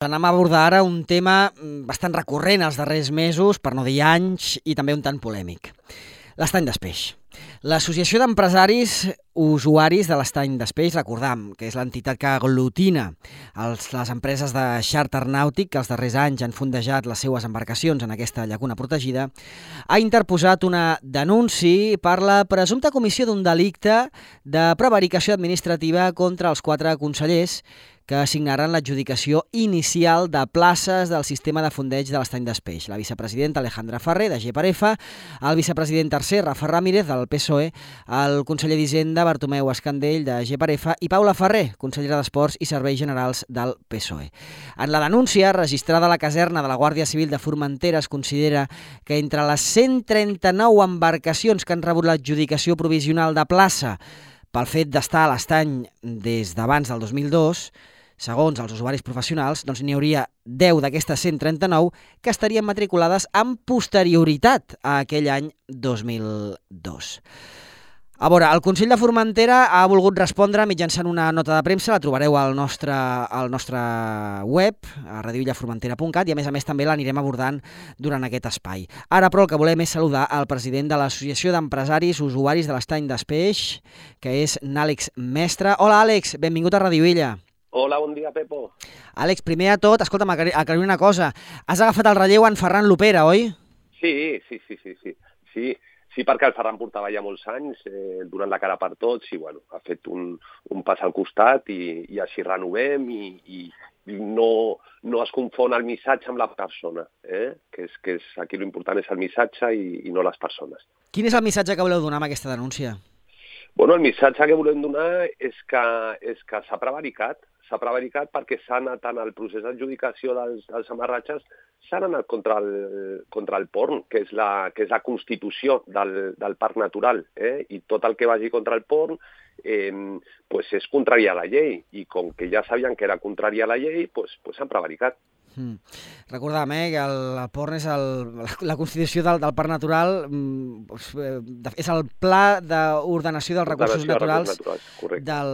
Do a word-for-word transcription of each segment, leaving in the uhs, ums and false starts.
Anem a abordar ara un tema bastant recurrent als darrers mesos, per no dir anys, i també un tant polèmic. L'estany d'Espeix. L'Associació d'Empresaris Usuaris de l'Estany d'Espeix, recordam que és l'entitat que aglutina els, les empreses de xàrter nàutic que els darrers anys han fondejat les seues embarcacions en aquesta llacuna protegida, ha interposat una denúncia per la presumpta comissió d'un delicte de prevaricació administrativa contra els quatre consellers que assignaran l'adjudicació inicial de places del sistema de fondeig de l'Estany d'Espeix. La vicepresidenta Alejandra Ferrer, de G per F, el vicepresident tercer, Rafa Ramírez, del P S O E, el conseller d'Hisenda, Bartomeu Escandell, de G per F, i Paula Ferrer, consellera d'Esports i Serveis Generals del P S O E. En la denúncia, registrada a la caserna de la Guàrdia Civil de Formentera, es considera que entre les cent trenta-nou embarcacions que han rebut l'adjudicació provisional de plaça pel fet d'estar a l'estany des d'abans del dos mil dos, segons els usuaris professionals, doncs n'hi hauria deu d'aquestes cent trenta-nou que estarien matriculades amb posterioritat a aquell any dos mil dos. A veure, el Consell de Formentera ha volgut respondre mitjançant una nota de premsa, la trobareu al nostre, al nostre web, a radio illa formentera punt cat, i a més a més també l'anirem abordant durant aquest espai. Ara, però, el que volem és saludar el president de l'Associació d'Empresaris Usuaris de l'Estany d'Espeix, que és n'Àlex Mestre. Hola, Àlex, benvingut a Radio Illa. Hola, bon dia, Pepo. Àlex, primer de tot, escolta'm, aclarir una cosa. Has agafat el relleu en Ferran Lopera, oi? Sí, sí, sí, sí, sí. Sí, sí perquè el Ferran portava ja molts anys eh, donant la cara per tots i, bueno, ha fet un, un pas al costat i, i així renovem i, i, i no, no es confon el missatge amb la persona, eh? que és, que és, aquí l'important és el missatge i, i no les persones. Quin és el missatge que voleu donar amb aquesta denúncia? Bueno, el missatge que volem donar és que, és que s'ha prevaricat, s'ha prevaricat perquè s'ha anat en el procés d'adjudicació dels, dels amarratges, s'han anat contra el, contra el porn, que és la, que és la constitució del, del parc natural, eh? I tot el que vagi contra el porn eh, pues és contrari a la llei, i com que ja sabien que era contrari a la llei, pues, pues s'han prevaricat. Mm. Recordam eh, que el, el porn és el, la, la constitució del, del parc natural, mm, és el pla d'ordenació dels recursos naturals, naturals del,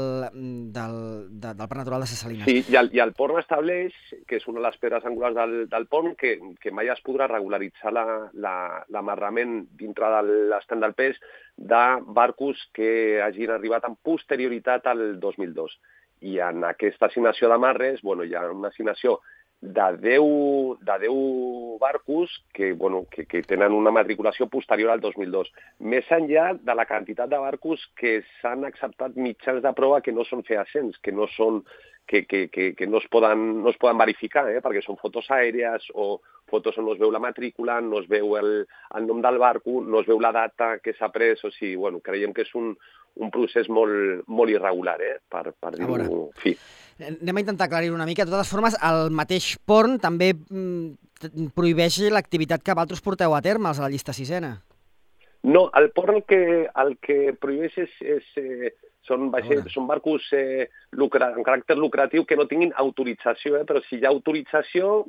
del, de, del parc natural de Ses Salines. Sí, i el, i el porn estableix, que és una de les pedres angulars del, del porn, que, que mai es podrà regularitzar l'amarrament la, la, dintre de l'estand del pes de barcos que hagin arribat amb posterioritat al dos mil dos. I en aquesta assignació d'amarres, bueno, hi ha una assignació de deu, de deu barcos que, bueno, que, que tenen una matriculació posterior al dos mil dos. Més enllà de la quantitat de barcos que s'han acceptat mitjans de prova que no són fehacients, que no són que, que, que, que no, es poden, no es poden verificar, eh? Perquè són fotos aèries o fotos on no es veu la matrícula, no es veu el, el nom del barco, no es veu la data que s'ha pres, o sigui, bueno, creiem que és un, un procés molt, molt irregular, eh? per, per dir-ho fi. Anem a intentar aclarir una mica. De totes formes, el mateix porn també mm, prohibeix l'activitat que vosaltres porteu a terme, els de la llista sisena. No, el porn el que, el que prohibeix és, és, eh, són, vaixells, són barcos eh, lucra, amb caràcter lucratiu que no tinguin autorització, eh, però si hi ha autorització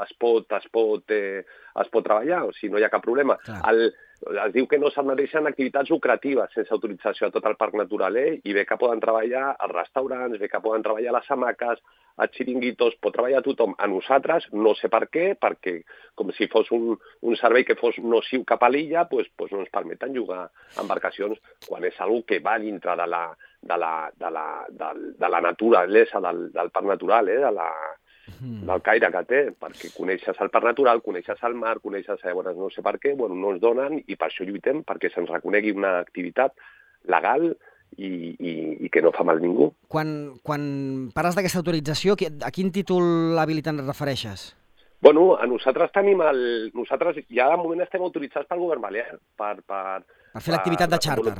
es pot, es pot, eh, es pot treballar, o sigui, no hi ha cap problema. El, es diu que no s'admeteixen activitats lucratives sense autorització a tot el parc natural, eh? I bé que poden treballar als restaurants, bé que poden treballar a les hamaques, a xiringuitos, pot treballar tothom. A nosaltres, no sé per què, perquè com si fos un, un servei que fos nociu cap a l'illa, pues, pues no ens permeten jugar embarcacions quan és algo que va dintre de la, de la, de la, de, de la naturalesa del, del parc natural, eh? de la, del caire que té, perquè coneixes el parc natural, coneixes el mar, coneixes, eh, bueno, no sé per què, bueno, no ens donen i per això lluitem, perquè se'ns reconegui una activitat legal i, i, i que no fa mal ningú. Quan, quan parles d'aquesta autorització, a quin títol habilitant et refereixes? Bueno, a nosaltres tenim el... Nosaltres ja de moment estem autoritzats pel govern balear per... Per, per fer l'activitat de xàrter.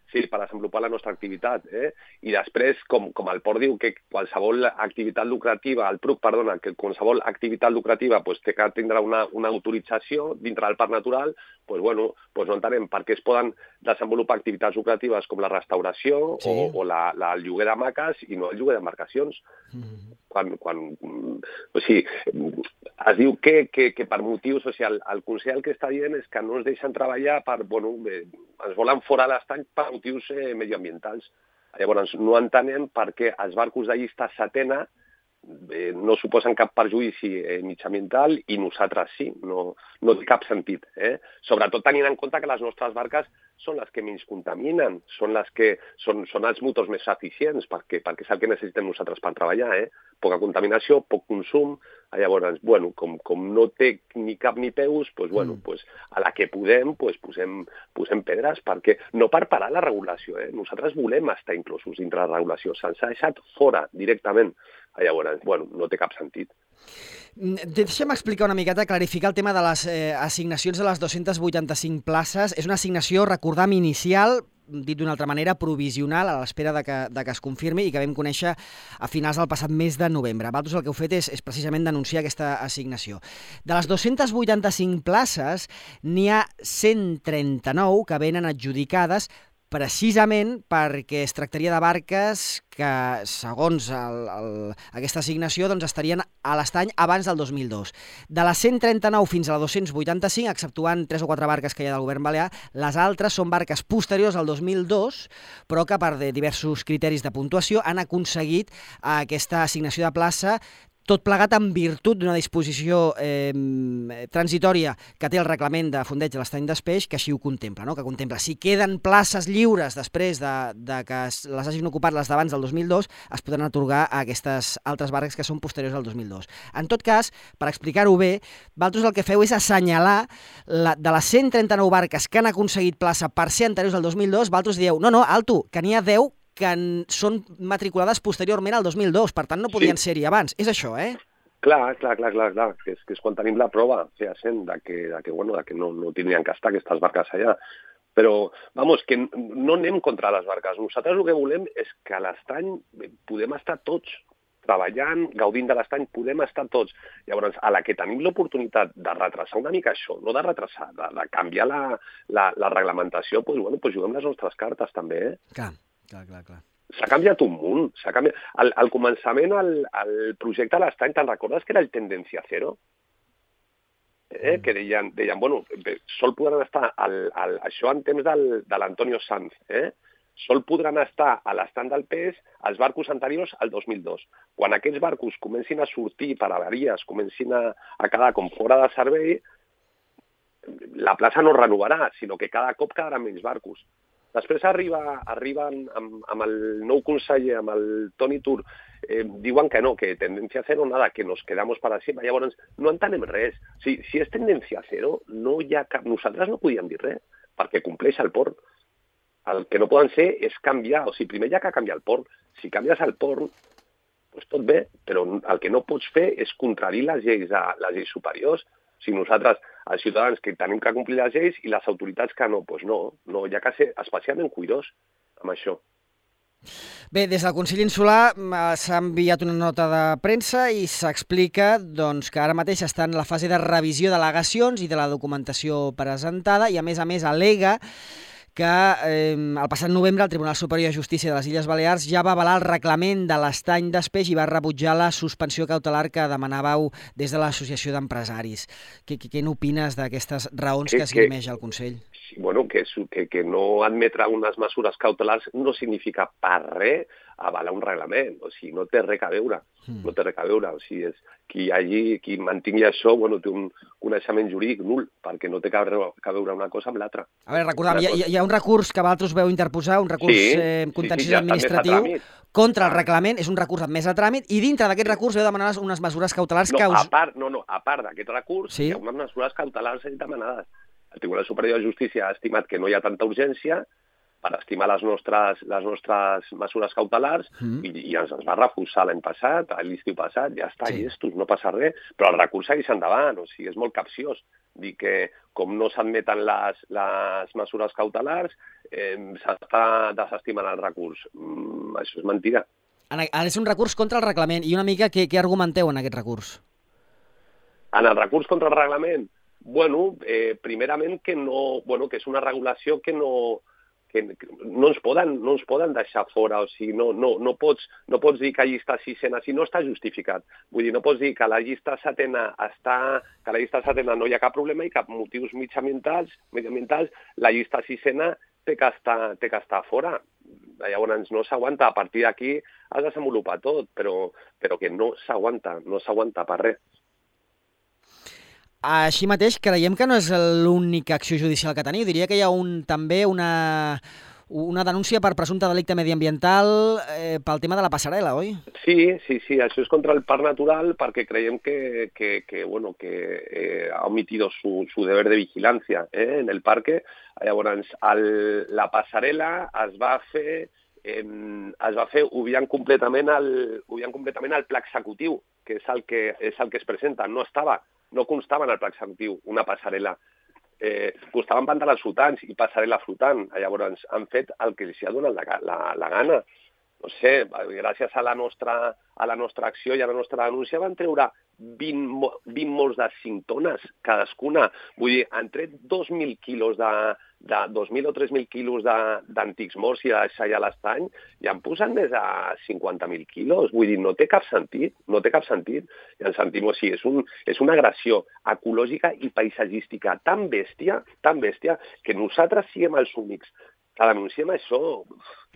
Sí, per desenvolupar la nostra activitat. Eh? I després, com, com el port diu que qualsevol activitat lucrativa, el P R U C, perdona, que qualsevol activitat lucrativa pues, té que tindrà una, una autorització dintre del parc natural, pues, bueno, pues no entenem per què es poden desenvolupar activitats lucratives com la restauració sí. o, o la, la, el lloguer d'hamaques i no el lloguer d'embarcacions. Mm. Quan, quan, o sigui, es diu que, que, que per motius, o sigui, el, el Consell que està dient és que no ens deixen treballar per, bueno, bé, ens volen fora de l'estany per motius eh, medioambientals. Llavors, no entenem per què els barcos de llista setena eh, no suposen cap perjudici eh, mitjambiental i nosaltres sí, no, no té cap sentit. Eh? Sobretot tenint en compte que les nostres barques són les que menys contaminen, són, les que, són, són els motors més eficients, perquè, perquè és el que necessitem nosaltres per treballar. Eh? Poca contaminació, poc consum. Llavors, bueno, com, com no té ni cap ni peus, pues, bueno, mm. pues, a la que podem pues, posem, posem pedres, perquè no per parar la regulació. Eh? Nosaltres volem estar inclosos dintre la regulació. Se'ns ha deixat fora directament. Llavors, bueno, no té cap sentit. Deixa'm explicar una miqueta, clarificar el tema de les eh, assignacions de les dues-centes vuitanta-cinc places. És una assignació, recordam, inicial, dit d'una altra manera, provisional, a l'espera de, que, de que es confirmi i que vam conèixer a finals del passat mes de novembre. Vosaltres el que heu fet és, és precisament denunciar aquesta assignació. De les dues-centes vuitanta-cinc places, n'hi ha cent trenta-nou que venen adjudicades precisament perquè es tractaria de barques que, segons el, el, aquesta assignació, doncs estarien a l'estany abans del dos mil dos. De les cent trenta-nou fins a la dos-cents vuitanta-cinc, exceptuant tres o quatre barques que hi ha del govern balear, les altres són barques posteriors al dos mil dos, però que per diversos criteris de puntuació han aconseguit aquesta assignació de plaça, tot plegat en virtut d'una disposició eh, transitòria que té el reglament de fondeig de l'estany d'Espeix, que així ho contempla, no? Que contempla si queden places lliures després de, de que les hagin ocupat les d'abans del dos mil dos, es podran atorgar a aquestes altres barques que són posteriors al dos mil dos. En tot cas, per explicar-ho bé, vosaltres el que feu és assenyalar la, de les cent trenta-nou barques que han aconseguit plaça per ser anteriors al dos mil dos, vosaltres dieu, no, no, alto, que n'hi ha deu que són matriculades posteriorment al dos mil dos, per tant no podien sí. ser-hi abans. És això, eh? Clar, clar, clar, clar, clar. Que, és, que és quan tenim la prova fehacent de que, de que, bueno, de que no, no tindrien que estar aquestes barques allà. Però, vamos, que no anem contra les barques. Nosaltres el que volem és que a l'estany podem estar tots treballant, gaudint de l'estany, podem estar tots. Llavors, a la que tenim l'oportunitat de retrasar una mica això, no de retrasar, de, de canviar la, la, la reglamentació, doncs, bueno, doncs juguem les nostres cartes també, eh? Clar. Clar, clar, clar. S'ha canviat un munt. S'ha canviat... Al, al començament, el, el projecte de l'estany, te'n recordes que era el Tendencia Cero? Eh? Mm. Que deien, deien, bueno, sol podran estar, al, al, això en temps del, de l'Antonio Sanz, eh? sol podran estar a l'estany del P E S els barcos anteriors al dos mil dos. Quan aquests barcos comencin a sortir per avaries, comencin a, a quedar com fora de servei, la plaça no es renovarà, sinó que cada cop quedaran menys barcos. Després arriba, arriben amb, amb el nou conseller, amb el Toni Tur, eh, diuen que no, que tendencia cero, nada, que nos quedamos para siempre. Llavors, no entenem res. Si, si és tendencia cero, no hi ha cap... Nosaltres no podíem dir res, perquè compleix el port. El que no poden ser és canviar. O sigui, primer hi ha que canviar el port. Si canvies el port, doncs tot bé, però el que no pots fer és contradir les lleis, les lleis superiors. O sigui, nosaltres, els ciutadans, que tenim que complir les lleis i les autoritats que no, doncs no, no, hi ha que ser especialment cuidós amb això. Bé, des del Consell Insular s'ha enviat una nota de premsa i s'explica doncs, que ara mateix està en la fase de revisió d'al·legacions i de la documentació presentada i, a més a més, al·lega que eh, el passat novembre el Tribunal Superior de Justícia de les Illes Balears ja va avalar el reglament de l'estany d'Espeix i va rebutjar la suspensió cautelar que demanàveu des de l'Associació d'Empresaris. Què, què n'opines d'aquestes raons que, que esgrimeix el Consell? Sí, bueno, que, que, que no admetre unes mesures cautelars no significa per res avalar un reglament, o sigui, no té res a veure, mm. no té res a veure, o sigui, és, qui, allí, qui mantingui això, bueno, té un coneixement jurídic nul, perquè no té que veure una cosa amb l'altra. A veure, recordem, hi, hi ha un recurs que vosaltres veu interposar, un recurs sí, eh, contenciós sí, sí, ja administratiu contra el reglament, és un recurs admès a tràmit, i dintre d'aquest recurs veu demanar unes mesures cautelars no, que us... A part, no, no, a part d'aquest recurs, sí? Hi ha unes mesures cautelars demanades. El Tribunal Superior de Justícia ha estimat que no hi ha tanta urgència per estimar les nostres, les nostres mesures cautelars mm. i, i ens, ens va refusar l'any passat, l'estiu passat, ja està, sí. llestos, no passa res, però el recurs segueix endavant, o sigui, és molt capciós dir que com no s'admeten les, les mesures cautelars, eh, s'està desestimant el recurs. Mm, això és mentida. És un recurs contra el reglament, i una mica què, què argumenteu en aquest recurs? En el recurs contra el reglament? Bueno, eh, primerament que no, bueno, que és una regulació que no... que no ens poden, no ens poden deixar fora, o sigui, no, no, no, pots, no pots dir que la llista sisena, si no està justificat. Vull dir, no pots dir que la llista setena està, que la llista setena no hi ha cap problema i cap motius mitjambientals, mediambientals, la llista sisena té que estar, té que estar fora. llavors no s'aguanta, a partir d'aquí has de desenvolupar tot, però, però que no s'aguanta, no s'aguanta per res. Així mateix, creiem que no és l'única acció judicial que teniu. Diria que hi ha un, també una, una denúncia per presumpte delicte mediambiental eh, pel tema de la passarel·la, oi? Sí, sí, sí, això és contra el parc natural perquè creiem que, que, que, bueno, que eh, ha omitido su, su deber de vigilància eh, en el parque. Llavors, el, la passarel·la es va fer, eh, es va fer obviant completament el, obviant completament el pla executiu, que és el que, és el que es presenta. No estava, no constava en el pla executiu una passarel·la. Eh, costaven pantalons flotants i passarel·la flotant. Llavors han fet el que els ha donat la, la, la gana. No sé, gràcies a la nostra, a la nostra acció i a la nostra denúncia van treure vint, vint morts de cinc tones cadascuna. Vull dir, han tret dos mil quilos de, de dos mil o tres mil quilos d'antics morts i de deixar ja l'estany i han posat més de cinquanta mil quilos. Vull dir, no té cap sentit, no té cap sentit. I ens sentim, o sigui, és, un, és una agressió ecològica i paisatgística tan bèstia, tan bèstia, que nosaltres siguem els únics que denunciem això.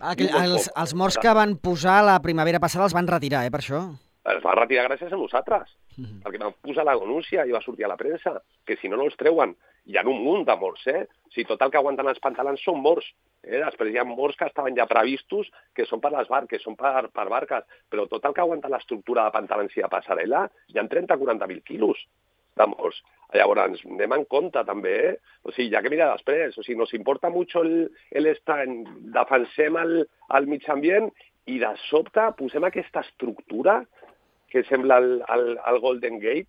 Aquell, els, els morts que van posar la primavera passada els van retirar, eh, per això? Es va retirar gràcies a nosaltres, mm-hmm. perquè van posar la denúncia i va sortir a la premsa, que si no, no els treuen. Hi ha un munt de morts, eh? O sigui, tot el que aguanten els pantalons són morts. Eh? Després hi ha morts que estaven ja previstos, que són per les barques, són per, per barques, però tot el que aguanta l'estructura de pantalons i de passarel·la hi ha trenta a quaranta mil quilos de morts. Llavors, anem en compte també, eh? O sigui, ja que mira després, o sigui, nos importa mucho l'estany, defensem el, el mig ambient i de sobte posem aquesta estructura que sembla el, el, el Golden Gate,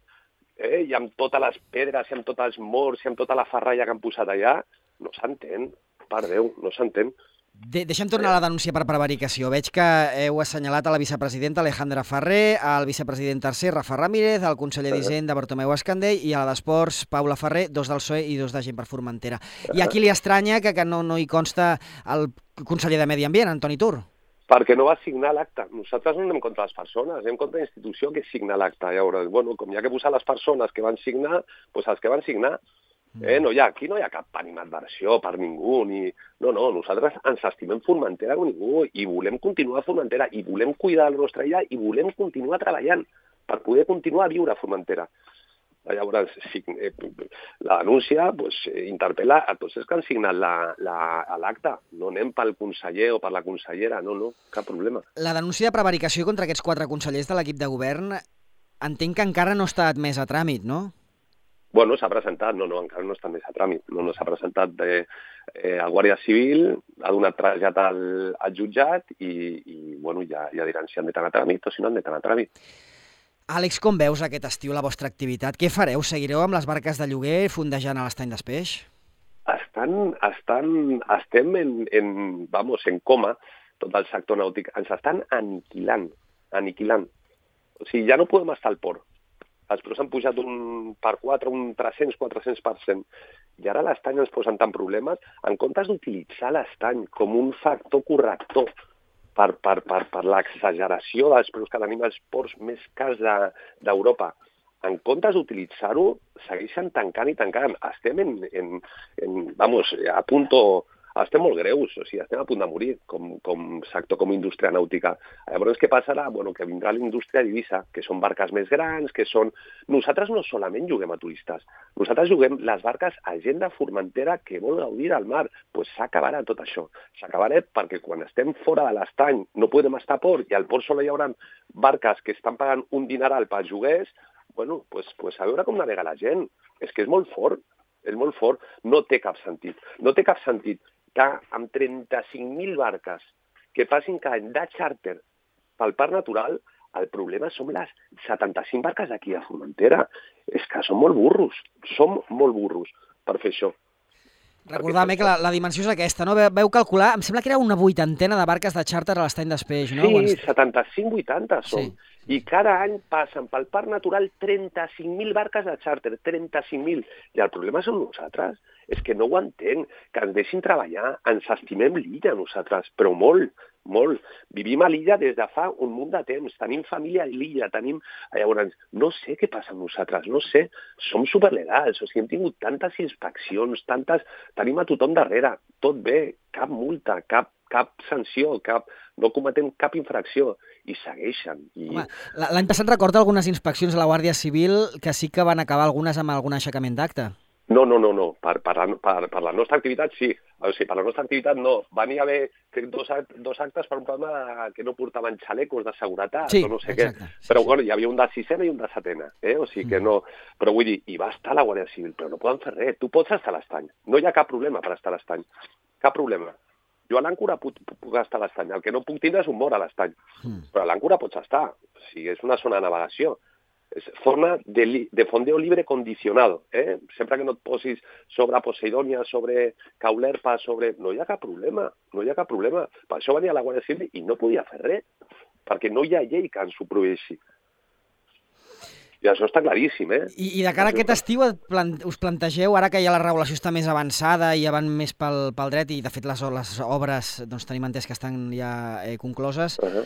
eh? I amb totes les pedres, i amb tots els morts, i amb tota la ferralla que han posat allà, no s'entén, per Déu, no s'entén. De Deixa'm tornar a la denúncia per prevaricació. Veig que heu assenyalat a la vicepresidenta Alejandra Ferrer, al vicepresident tercer, Rafa Ramírez, al conseller d'Hisenda, Bartomeu Escandell, i a la d'Esports, Paula Ferrer, dos del P S O E i dos de Gent per Formentera. I aquí li estranya que, que no, no hi consta el conseller de Medi Ambient, Antoni Tur. Perquè no va signar l'acte. Nosaltres no anem contra les persones, anem contra la institució que signa l'acte. Llavors, bueno, com hi ha que posar les persones que van signar, doncs els que van signar. Eh, no hi ha, aquí no hi ha cap animadversió per ningú, ni... No, no, nosaltres ens estimem Formentera com ningú i volem continuar a Formentera i volem cuidar la nostra illa i volem continuar treballant per poder continuar a viure a Formentera. Llavors, sí, eh, la denúncia pues, interpel·la a tots els que han signat l'acte. La, no anem pel conseller o per la consellera, no, no, cap problema. La denúncia de prevaricació contra aquests quatre consellers de l'equip de govern entenc que encara no està admès a tràmit, no? Bueno, s'ha presentat, no, no, encara no està més a tràmit. No, no s'ha presentat de, eh, el Guàrdia Civil, ha donat trasllat al, al jutjat i, i bueno, ja, ja diran si han d'anar a tràmit o si no han d'anar a tràmit. Àlex, com veus aquest estiu la vostra activitat? Què fareu? Seguireu amb les barques de lloguer fondejant a l'estany d'Espeix? Estan, estan, estem en, en, vamos, en coma, tot el sector nàutic. Ens estan aniquilant, aniquilant. O sigui, ja no podem estar al port. Els preus han pujat un per quatre, un tres-cents a quatre-cents per cent. I ara l'estany ens posen tant problemes, en comptes d'utilitzar l'estany com un factor corrector per, per, per, per l'exageració dels preus que tenim als ports més cars d'Europa. En comptes d'utilitzar-ho, segueixen tancant i tancant. Estem en, en, en vamos, a punto... Estem molt greus, o sigui, estem a punt de morir com, com sector, com indústria nàutica. Llavors, què passarà? Bueno, que vindrà l'indústria d'Eivissa, que són barques més grans, que són... Nosaltres no solament juguem a turistes, nosaltres juguem les barques a gent de Formentera que vol gaudir del mar. Doncs pues s'acabarà tot això. S'acabarà perquè quan estem fora de l'estany no podem estar a port i al port sola hi haurà barques que estan pagant un dineral pels lloguers, bueno, pues, pues a veure com navega la gent. És que és molt fort, és molt fort. No té cap sentit. No té cap sentit que amb trenta-cinc mil barques que passin cada any de xàrter pel parc natural, el problema són les setanta-cinc barques d'aquí a Formentera. És que som molt burros, som molt burros per fer això. Recordar-me que la, la dimensió és aquesta, no? Veu calcular, em sembla que era una vuitantena de barques de xàrter a l'estany d'Espeix, no? Sí, setanta-cinc a vuitanta som. Sí. I cada any passen pel parc natural trenta-cinc mil barques de xàrter, trenta-cinc mil. I el problema són nosaltres. És que no ho entenc, que ens deixin treballar, ens estimem l'illa nosaltres, però molt, molt. Vivim a l'illa des de fa un munt de temps, tenim família a l'illa, tenim... Llavors, no sé què passa amb nosaltres, no sé, som superlegals, o sigui, hem tingut tantes inspeccions, tantes... Tenim a tothom darrere, tot bé, cap multa, cap cap sanció, cap, no cometem cap infracció, i segueixen. I... Home, l'any passat recordo algunes inspeccions a la Guàrdia Civil que sí que van acabar algunes amb algun aixecament d'acte. No, no, no, no. Per, per, la, per, per la nostra activitat sí. O sigui, per la nostra activitat no. Van hi haver crec, dos, act, dos actes per un problema que no portaven xalecos de seguretat sí, o no sé exacte. què. Sí, però sí. Bueno, hi havia un de sisena i un de setena. Eh? O sigui que no... Però vull dir, hi va estar la Guàrdia Civil, però no poden fer res. Tu pots estar a l'estany. No hi ha cap problema per estar a l'estany. Cap problema. Jo a l'àncora puc, puc estar a l'estany. El que no puc tindre és un mort a l'estany. Mm. Però a l'àncora pots estar. O sigui, és una zona de navegació. És forma de, li, de fondeo libre condicionado. Eh? Sempre que no et posis sobre Poseidònia, sobre Caulerpa, sobre... No hi ha cap problema, no hi ha cap problema. Per això venia la Guàrdia Civil i no podia fer res, perquè no hi ha llei que ens ho prohibeixi. I això està claríssim, eh? I, i de cara a aquest estiu us plantegeu, ara que ja la regulació està més avançada i ja van més pel, pel dret, i de fet les, les obres doncs, tenim entès que estan ja eh, concloses, uh-huh.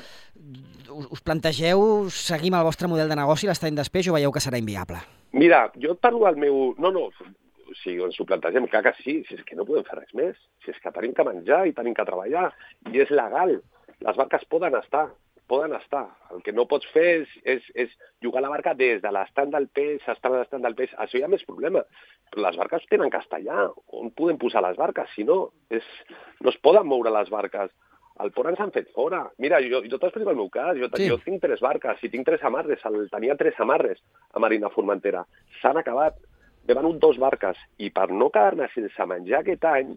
us, us plantegeu seguir amb el vostre model de negoci, l'estany d'espeix, o veieu que serà inviable? Mira, jo et parlo del meu... No, no, o sigui, ens ho plantegem, clar que sí, si és que no podem fer res més, si és que tenim que menjar i tenim que treballar, i és legal, les barques poden estar, poden estar. El que no pots fer és, és, és jugar la barca des de l'estand del peix, estar a l'estand del peix. Això hi ha més problema. Però les barques tenen que estar allà. On podem posar les barques? Si no, és, no es poden moure les barques. Al port ens han fet fora. Mira, jo, jo t'explico el meu cas. Jo, sí. jo tinc tres barques i tinc tres amarres. El, tenia tres amarres a Marina Formentera. S'han acabat. M'he venut dos barques. I per no quedar-me sense menjar aquest any,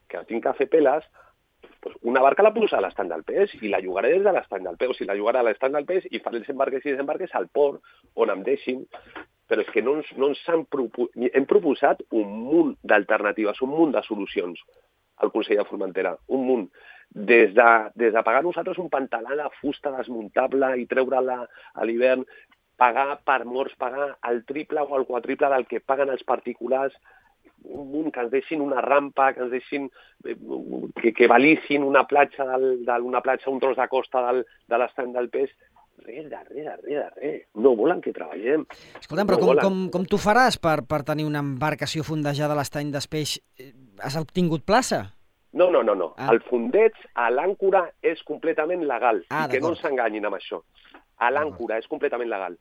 que tinc que fer peles, pues una barca la posa a l'estany del peix i la llogaré des de l'estany del peix, o sigui, la llogaré a l'estany del peix i faré els embarques i desembarques al port on em deixin, però és que no ens, no ens han propo... hem proposat un munt d'alternatives, un munt de solucions al Consell de Formentera, un munt. Des de, des de pagar nosaltres un pantalà de fusta desmuntable i treure-la a l'hivern, pagar per morts, pagar el triple o el quadriple del que paguen els particulars, un munt, que ens deixin una rampa, que ens deixin, que, que valissin una platja, del, de, una platja, un tros de costa del, de l'estany del peix. Res, de res, de res, de res. No volen que treballem. Escolta'm, però no com, com, com tu faràs per, per tenir una embarcació fondejada a l'estany d'Espeix? Has obtingut plaça? No, no, no. no. Ah. El fondeig a l'àncora és completament legal. Ah, I que no ens enganyin amb això. A l'àncora és completament legal.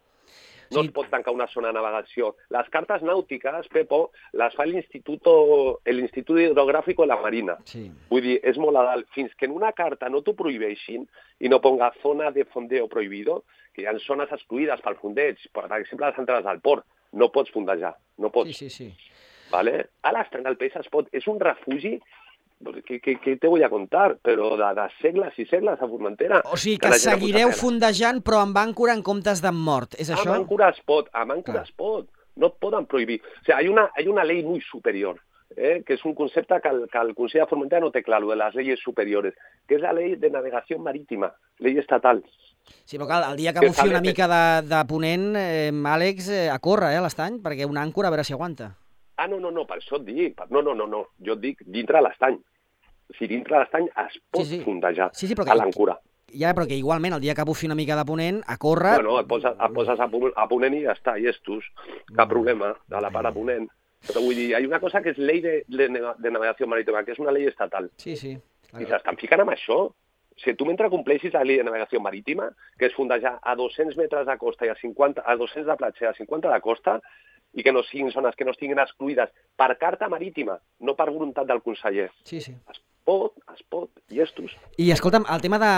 No sí. es pot tancar una zona de navegació. Les cartes nàutiques, Pepo, les fa l'Institut Hidrogràfic de la Marina. Sí. Vull dir, és molt legal. Fins que en una carta no t'ho prohibeixin i no ponga zona de fondeo prohibido, que hi ha zones excluïdes pel fondeig, per exemple, les entrades al port, no pots fondejar, no pots. Sí, sí, sí. Vale? A l'estany del peix es pot. És un refugi... Què, què, què te vull a contar? Però de, de segles i segles a Formentera. O sigui que seguireu fondejant però amb àncora en comptes d'en mort, és això? Amb àncora es pot, amb àncora es pot. No et poden prohibir. O sigui, hay una, hay una ley muy superior, eh, que és un concepte que el, que el Consell de Formentera no té clar, de les leyes superiores, que és la ley de navegació marítima, ley estatal. Sí, però clar, el dia que bufi una mica de, de ponent, eh, Àlex, eh, a córrer eh, a l'estany, perquè una àncora a veure si aguanta. Ah, no, no, no, per això et dic. No, no, no, no. Jo et dic dintre de l'estany. Si dintre de l'estany es pot sí, sí. fondejar sí, sí, a l'àncora. Ja, però que igualment, el dia que bufi una mica de ponent, a córrer... Bueno, et poses, et poses a, a ponent i ja està, i estos. Cap problema, a la part a ponent. Però vull dir, hi ha una cosa que és llei de, de, de navegació marítima, que és una llei estatal. Sí, sí. I s'estan ficant amb això. Si tu mentre compleixis la llei de navegació marítima, que és fondejar a dos-cents metres de costa i a cinquanta, a dos-cents de platja i a cinquanta de costa, i que no siguin zones que no estiguin excluïdes per carta marítima, no per voluntat del conseller. Sí, sí. Es pot, es pot, i estos. I escolta'm, el tema de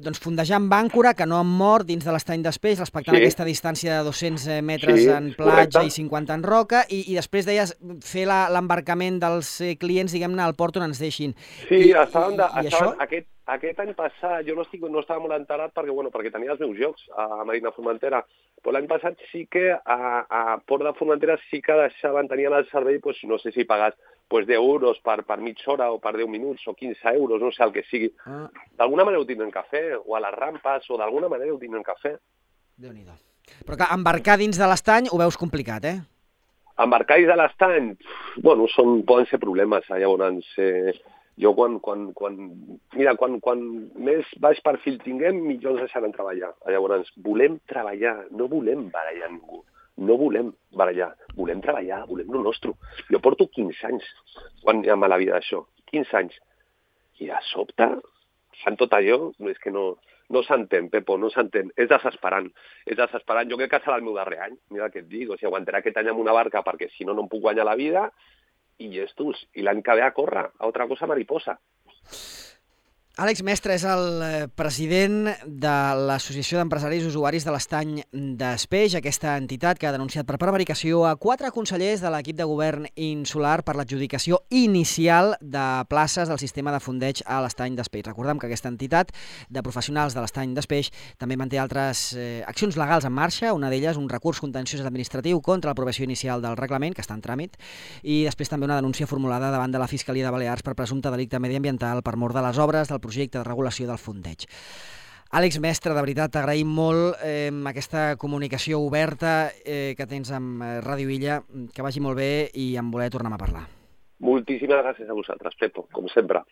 doncs, fondejar amb àncora, que no amb mort dins de l'estany d'Espeix, respectant sí. aquesta distància de dos-cents metres sí, en platja correcte. I cinquanta en roca, i, i després deies fer l'embarcament dels clients, diguem-ne, al port on ens deixin. Sí, I, estaven, de, i, i estaven això... aquest, aquest any passat, jo no, estic, no estava molt enterat perquè, bueno, perquè tenia els meus jocs a Marina Formentera, però l'any passat sí que a, a Port de Formentera sí que deixaven, tenien el servei, pues, no sé si pagas pues, deu euros per, per mitja hora o per deu minuts o quinze euros, no sé el que sigui. Ah. D'alguna manera ho tindrem que fer, o a les rampes, o d'alguna manera ho tindrem que fer. Déu-n'hi-do. Però que embarcar dins de l'estany ho veus complicat, eh? Embarcar dins de l'estany, bueno, són, poden ser problemes, eh? Llavors, eh, jo quan, quan, quan, mira, quan, quan més baix perfil tinguem, millor ens deixaran treballar. Llavors, volem treballar, no volem barallar ningú. No volem barallar, volem treballar, volem el nostre. Jo porto quinze anys quan hi ha a la vida d'això, quinze anys. I de sobte fan tot allò, és que no, no s'entén, Pepo, no s'entén. És desesperant, és desesperant. Jo crec que serà el meu darrer any, mira què et dic, o sigui, aguantaré aquest any amb una barca perquè si no, no em puc guanyar la vida, i llestos, i l'any que ve a córrer, a altra cosa mariposa. Àlex Mestre és el president de l'Associació d'Empresaris Usuaris de l'Estany d'Espeix, aquesta entitat que ha denunciat per prevaricació a quatre consellers de l'equip de govern insular per l'adjudicació inicial de places del sistema de fondeig a l'Estany d'Espeix. Recordem que aquesta entitat de professionals de l'Estany d'Espeix també manté altres eh, accions legals en marxa, una d'elles un recurs contenciós administratiu contra l'aprovació inicial del reglament, que està en tràmit, i després també una denúncia formulada davant de la Fiscalia de Balears per presumpte delicte mediambiental per mort de les obres del projecte de regulació del fondeig. Àlex Mestre, de veritat, t'agraïm molt eh, aquesta comunicació oberta eh, que tens amb Ràdio Illa, que vagi molt bé i en voler tornar a parlar. Moltíssimes gràcies a vosaltres, Pepo, com sempre.